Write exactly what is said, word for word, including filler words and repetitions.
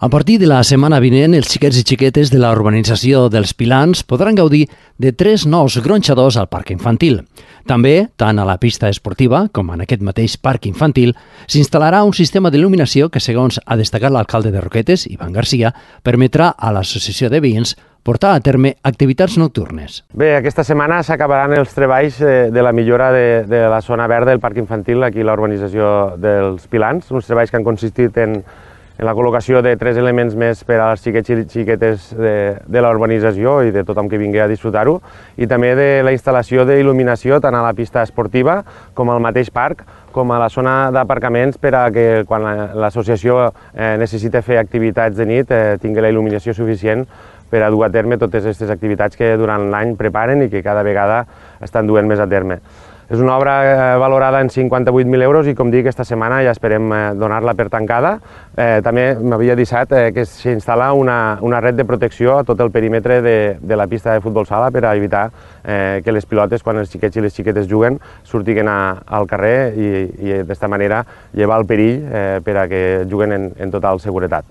A partir de la setmana vinent, els xiquets i xiquetes de la urbanització dels Pilans podran gaudir de tres nous gronxadors al parc infantil. També, tant a la pista esportiva com en aquest mateix parc infantil, s'instal·larà un sistema d'il·luminació que, segons ha destacat l'alcalde de Roquetes, Ivan Garcia, permetrà a l'associació de veïns portar a terme activitats nocturnes. Bé, aquesta setmana s'acabaran els treballs de la millora de, de la zona verda del parc infantil aquí a la urbanització dels Pilans, uns treballs que han consistit en en la col·locació de tres elements més per als xiquets i xiquetes de, de la urbanització i de tothom que vingui a disfrutar-ho, i també de la instal·lació d'il·luminació tant a la pista esportiva com al mateix parc, com a la zona d'aparcaments per a que quan l'associació eh, necessita fer activitats de nit eh, tingui la il·luminació suficient per a dur a terme totes aquestes activitats que durant l'any preparen i que cada vegada estan duent més a terme. És una obra valorada en cinquanta-vuit mil euros i, com dic, aquesta setmana ja esperem donar-la per tancada. Eh, també m'havia deixat eh, que s'instal·la una, una red de protecció a tot el perímetre de, de la pista de futbol sala per a evitar eh, que les pilotes, quan els xiquets i les xiquetes juguen, surtin a, al carrer i, i d'esta manera llevar el perill eh, per a que juguen en, en total seguretat.